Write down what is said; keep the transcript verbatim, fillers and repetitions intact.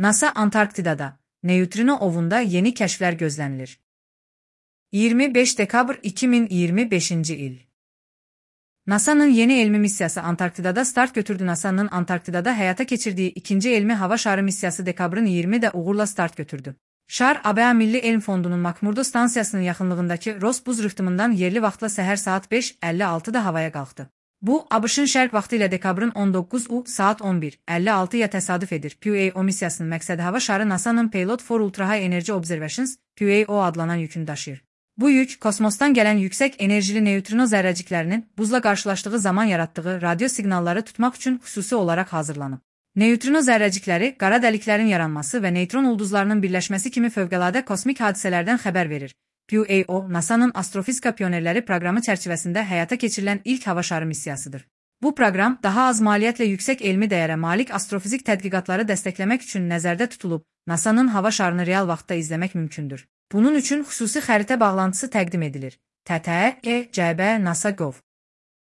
NASA Antarktidada, neytrino ovunda yeni kəşflər gözlənilir. iyirmi beş dekabr iki min iyirmi beşinci il. NASA'nın yeni elmi missiyası Antarktidada start götürdü. NASA'nın Antarktidada həyata keçirdiyi ikinci elmi hava şarı missiyası dekabrın iyirmisində uğurla start götürdü. Şar, A B A Milli Elm Fondunun Makmurdo stansiyasının yaxınlığındakı Ross buz rıhtımından yerli vaxtla səhər saat beş əlli altıda havaya qalxdı. Bu, ABŞ-ın şərq vaxtı ilə dekabrın on doqquzu saat on bir əlli altıya təsadüf edir. P U A O missiyasının məqsədi hava şarı NASA'nın Payload for Ultra High Energy Observations P U A O adlanan yükünü daşıyır. Bu yük, kosmosdan gələn yüksək enerjili neytrino zərrəciklərinin buzla qarşılaşdığı zaman yaratdığı radio siqnalları tutmaq üçün xüsusi olaraq hazırlanıb. Neytrino zərrəcikləri, qara dəliklərin yaranması və neytron ulduzlarının birləşməsi kimi fövqəladə kosmik hadisələrdən xəbər verir. P U A O, NASA'nın Astrofizika Pionerləri proqramı çərçivəsində həyata keçirilən ilk hava şarı missiyasıdır. Bu proqram, daha az maliyyətlə yüksək elmi dəyərə malik astrofizik tədqiqatları dəstəkləmək üçün nəzərdə tutulub, NASA'nın hava şarını real vaxtda izləmək mümkündür. Bunun üçün xüsusi xəritə bağlantısı təqdim edilir. T T E C B NASA nokta gov